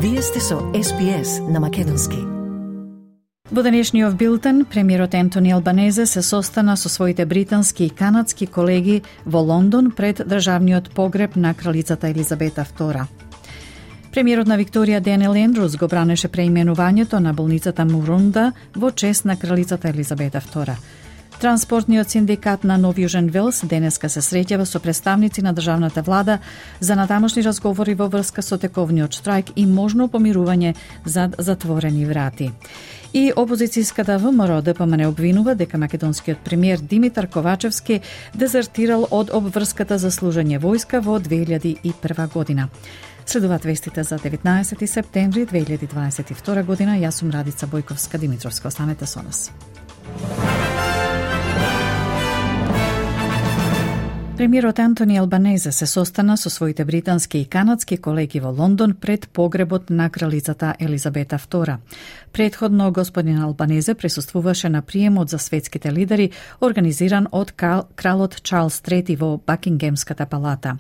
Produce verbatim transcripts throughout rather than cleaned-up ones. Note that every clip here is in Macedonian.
Вие сте со Ес Би Ес на македонски. Во денешниот билтен, премиерот Ентони Албанезе се состана со своите британски и канадски колеги во Лондон пред државниот погреб на кралицата Елизабета втора. Премиерот на Викторија Даниел Ендрус го бранеше преименувањето на болницата Мурунда во чест на кралицата Елизабета втора. Транспортниот синдикат на Нов Јужен Велс денеска се среќава со представници на државната влада за натамошни разговори во врска со тековниот штрајк и можно помирување зад затворени врати. И опозицијската ВМРО Д П М Н обвинува дека македонскиот премиер Димитар Ковачевски дезертирал од обврската за служење војска во две илјади и прва година. Следуваат вестите за деветнаесети септември две илјади дваесет и втора година. Јас сум Радица Бојковска Димитровска. Останете со нас. Премиерот Ентони Албанезе се состана со своите британски и канадски колеги во Лондон пред погребот на кралицата Елизабета втора. Предходно господин Албанезе присуствуваше на приемот за светските лидери организиран од кралот Чарлс трети во Бакингемската палата.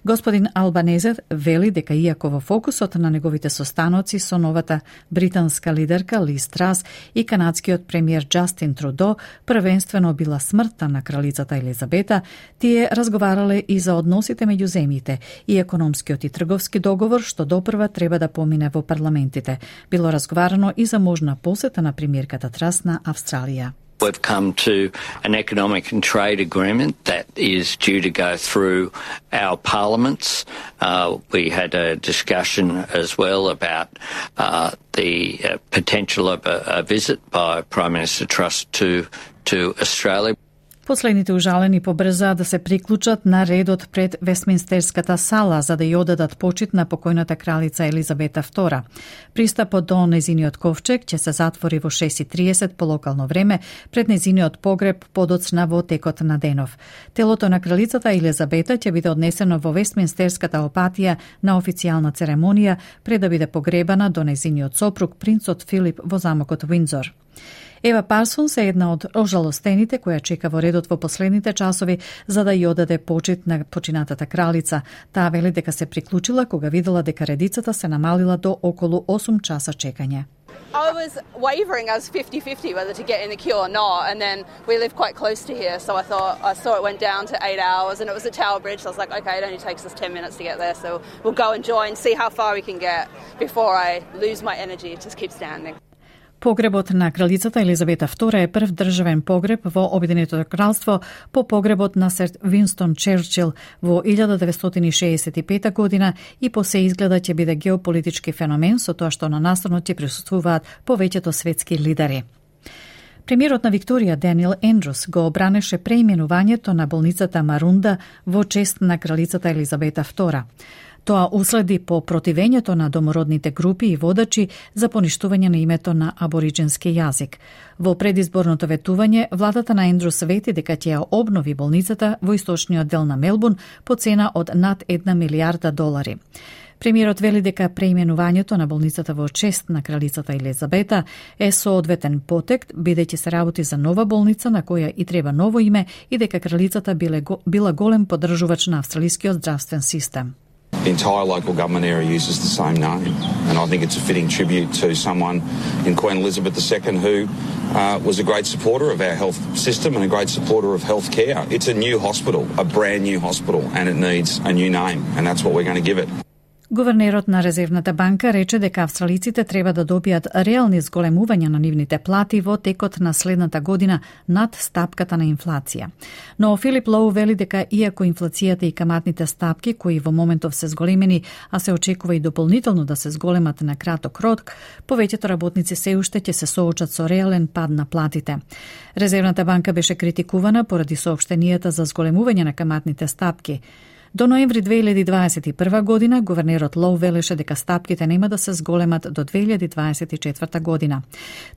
Господин Албанезе вели дека иако во фокусот на неговите состаноци со новата британска лидерка Лиз Трас и канадскиот премиер Џастин Трудо првенствено била смртта на кралицата Елизабета, тие разговарале и за односите меѓу земјите и економскиот и трговски договор што допрва треба да помине во парламентите. Било разговарано и за можна посета на премиерката Трас на Австралија. We've come to an economic and trade agreement that is due to go through our parliaments. Uh, we had a discussion as well about uh, the uh, potential of a, a visit by Prime Minister Truss to, to Australia. Последните ужалени побрзаа да се приклучат на редот пред Вестминстерската сала за да ја одадат почит на покојната кралица Елизабета втора. Пристапот до незиниот ковчег ќе се затвори во шест и триесет по локално време пред незиниот погреб подоцна во текот на денов. Телото на кралицата Елизабета ќе биде однесено во Вестминстерската опатија на официјална церемонија пред да биде погребана до незиниот сопруг принцот Филип во замокот Уиндзор. Ева Парсонс е една од ожалостените која чека во редот во последните часови за да ја одаде почит на починатата кралица. Таа вели дека се приклучила кога видела дека редицата се намалила до околу осум часа чекање. I was wavering. I was fifty-fifty whether to get in the queue or not, and then we live quite close to here, so I thought I saw it went down to eight hours, and it was at Tower Bridge. So I was like, okay, it only takes us ten minutes to get there, so we'll go and join, see how far we can get before I lose my energy to just keep standing. Погребот на кралицата Елизабета втора е прв државен погреб во Обединетото кралство по погребот на сер Винстон Черчил во илјада деветстотини шеесет и пета година и по се изгледа ќе биде геополитички феномен со тоа што на настанот ќе присуствуваат повеќето светски лидери. Премиерот на Викторија Даниел Ендрус го обранеше преименувањето на болницата Марунда во чест на кралицата Елизабета втора. Тоа уследи по противењето на домородните групи и водачи за поништување на името на абориджински јазик. Во предизборното ветување, владата на Ендрус вети дека ќе ја обнови болницата во источниот дел на Мелбурн по цена од над една милијарда долари. Премиерот вели дека преименувањето на болницата во чест на кралицата Елизабета е соодветен потек, бидејќи се работи за нова болница на која и треба ново име и дека кралицата биле, била голем поддржувач на австралискиот здравствен систем. The entire local government area uses the same name, and I think it's a fitting tribute to someone in Queen Elizabeth the Second who uh, was a great supporter of our health system and a great supporter of health care. It's a new hospital, a brand new hospital, and it needs a new name, and that's what we're going to give it. Гувернерот на Резервната банка рече дека австралиците треба да добијат реални зголемувања на нивните плати во текот на следната година над стапката на инфлација. Но Филип Лоу вели дека иако инфлацијата и каматните стапки кои во моментов се зголемени, а се очекува и дополнително да се зголемат на краток рок, повеќето работници се уште ќе се соочат со реален пад на платите. Резервната банка беше критикувана поради соопштенијата за зголемување на каматните стапки. До ноември две илјади дваесет и прва година, гувернерот Лоу велеше дека стапките нема да се зголемат до две илјади дваесет и четврта година.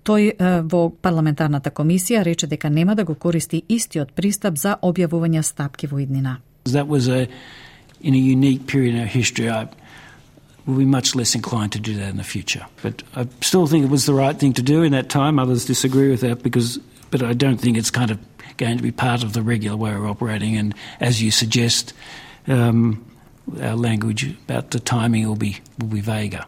Тој е, во парламентарната комисија рече дека нема да го користи истиот пристап за објавување стапки во иднина. That was a in a unique period in our history. I will be much less inclined to do that in the future. But I still think it was the right thing to do in that time. Others disagree with that because but I don't think it's kind of going to be part of the regular way of operating, and as you suggest, Um, our language about the timing will be will be vaguer.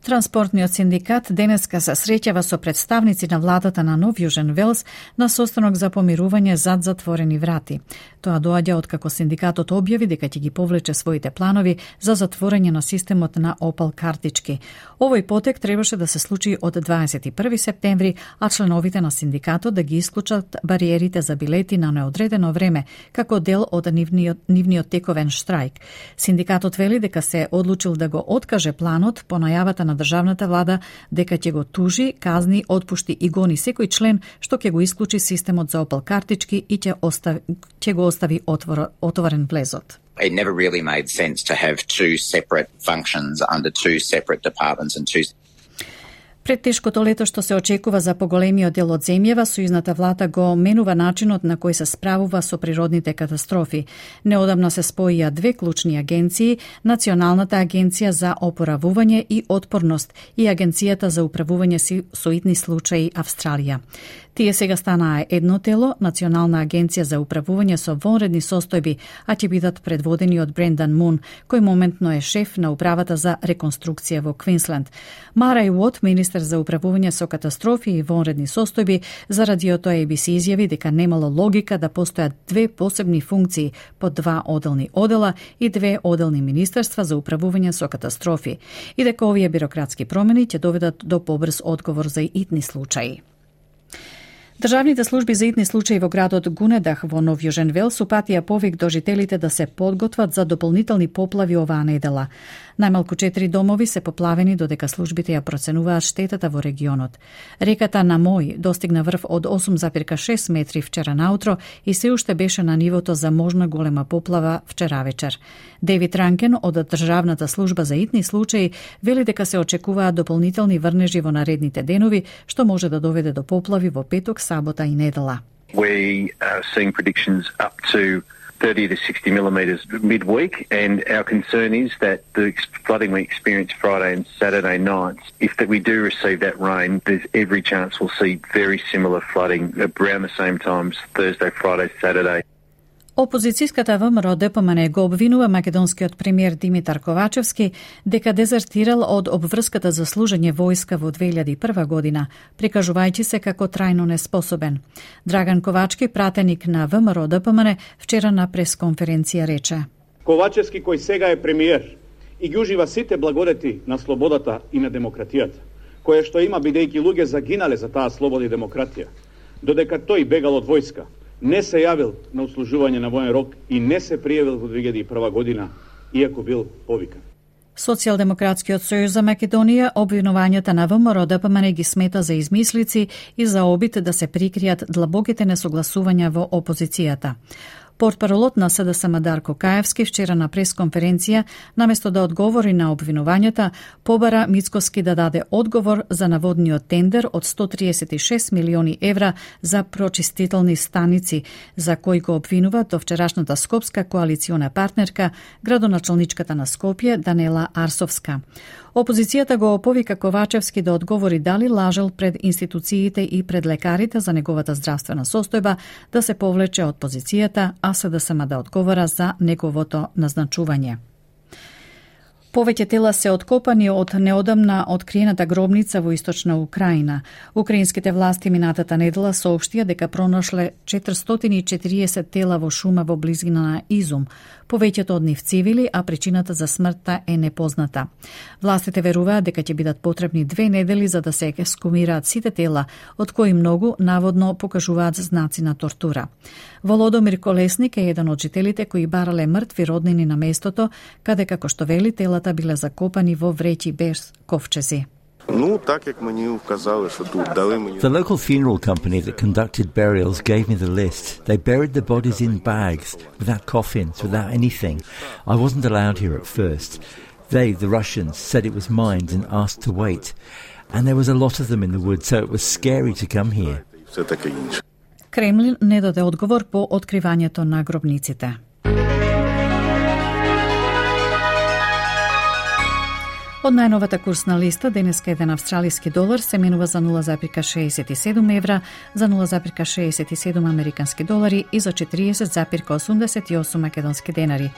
Транспортниот синдикат денеска се среќава со представници на владата на Нов Јужен Велс на состанок за помирување зад затворени врати. Тоа доаѓа откако синдикатот објави дека ќе ги повлече своите планови за затворање на системот на Опал картички. Овој потек требаше да се случи од дваесет и први септември, а членовите на синдикатот да ги исклучат бариерите за билети на неодредено време како дел од нивниот, нивниот тековен штрајк. Синдикатот вели дека се одлучил да го откаже планот по најавата на државната влада дека ќе го тужи, казни, отпушти и гони секој член што ќе го исклучи системот за Опал картички и ќе остави, ќе го остави отвор, отворен влезот. It never really made sense to have two separate functions under two separate departments and two. Пред тешкото лето што се очекува за поголемиот дел од земјава, сојузната влада го менува начинот на кој се справува со природните катастрофи. Неодамна се споија две клучни агенции, Националната агенција за опоравување и отпорност и Агенцијата за управување со итни случаи Австралија. Тие сега станаа едно тело, Национална агенција за управување со вонредни состојби, а ќе бидат предводени од Брендан Мун, кој моментно е шеф на управата за реконструкција во Квинсленд. Марај Уот, министер за управување со катастрофи и вонредни состојби, за радиото Ей Би Си изјави дека немало логика да постојат две посебни функции под два оделни одела и две оделни министерства за управување со катастрофи и дека овие бирократски промени ќе доведат до побрз одговор за итни случаи. Државните служби за итни случаи во градот Гунедах во Нов Јужен Велс упатија повик до жителите да се подготват за дополнителни поплави оваа недела. Најмалку четири домови се поплавени додека службите ја проценуваат штетата во регионот. Реката Намој достигна врв од осум зарез и шест метри вчера наутро и се уште беше на нивото за можна голема поплава вчера вечер. Девид Ранкен од Државната служба за итни случаи вели дека се очекуваат дополнителни врнежи во наредните денови, што може да доведе до поплави во петок, сабота и недела. We are seeing predictions up to thirty to sixty millimetres midweek, and our concern is that the flooding we experienced Friday and Saturday nights, if that we do receive that rain, there's every chance we'll see very similar flooding around the same times Thursday, Friday, Saturday. Опозицијската ВМРО Д П М Н го обвинува македонскиот премиер Димитар Ковачевски дека дезертирал од обврската за служење војска во две илјади и прва година, прикажувајќи се како трајно неспособен. Драган Ковачки, пратеник на В М R Д П М Н, вчера на пресконференција рече: Ковачевски, кој сега е премиер и ги ужива сите благодети на слободата и на демократијата, која што има бидејќи луѓе загинале за таа слобода и демократија, додека тој бегал од војска, не се јавил на услужување на воен рок и не се пријавил во две илјади и прва година, иако бил повикан. Социјалдемократскиот сојуз за Македонија обвинувањата на В М R Д П М Н ги смета за измислици и за обид да се прикријат длабоките несогласувања во опозицијата. Портпаролот на С Д С М Дарко Каевски вчера на пресконференција, наместо да одговори на обвинувањата, побара Мицкоски да даде одговор за наводниот тендер од сто триесет и шест милиони евра за прочистителни станици, за кој го обвинува до вчерашната скопска коалициона партнерка, градоначалничката на Скопје Данела Арсовска. Опозицијата го повика Ковачевски да одговори дали лажел пред институциите и пред лекарите за неговата здравствена состојба, да се повлече од позицијата, а С Д С М да одговора за неговото назначување. Повеќе тела се откопани од неодамна откриената гробница во источна Украина. Украинските власти минатата недела соопштија дека пронашле четиристотини и четириесет тела во шума во близина на Изум. Повеќето од нив цивили, а причината за смртта е непозната. Властите веруваат дека ќе бидат потребни две недели за да се ексхумираат сите тела, од кои многу наводно покажуваат знаци на тортура. Володомир Колесник е еден од жителите кои барале мртви роднини на местото, каде, како што вели, телата биле закопани во вреќи без ковчези. The local funeral company that conducted burials gave me the list. They buried the bodies in bags, without coffins, without anything. I wasn't allowed here at first. They, the Russians, said it was mined and asked to wait. And there was a lot of them in the woods, so it was scary to come here. Кремлин не даде одговор по откривањето на гробниците. Од најновата курсна листа, денеска еден австралиски долар се менува за нула зарез шеесет и седум евра, за нула зарез шеесет и седум американски долари и за четириесет зарез осумдесет и осум македонски денари.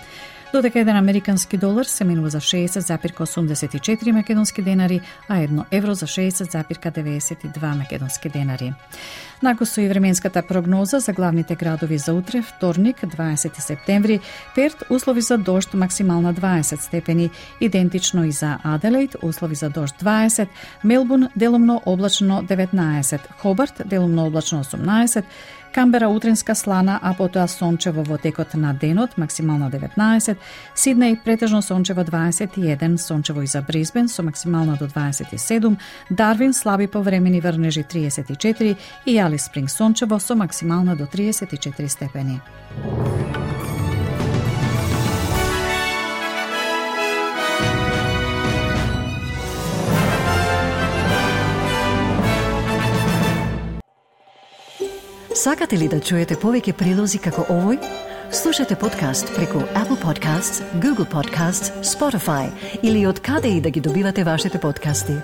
додека еден американски долар се менува за шеесет зарез осумдесет и четири македонски денари, а едно евро за шеесет зарез деведесет и два македонски денари. Нако со и временската прогноза за главните градови за утре, вторник, дваесети септември, Перт, услови за дожд максимална дваесет степени, идентично и за Аделаид, услови за дожд дваесет, Мелбурн, делумно облачно деветнаесет, Хобарт, делумно облачно осумнаесет, Камбера утринска слана, а потоа сончево во текот на денот, максимална деветнаесет, Сиднеј претежно сончево дваесет и еден, сончево и за Брисбен со максимална до дваесет и седум, Дарвин слаби повремени врнежи триесет и четири и Алис Спринг сончево со максимална до триесет и четири степени. Сакате ли да чуете повеќе прилози како овој? Слушате подкаст преку Apple Podcasts, Google Podcasts, Spotify или од каде и да ги добивате вашите подкасти.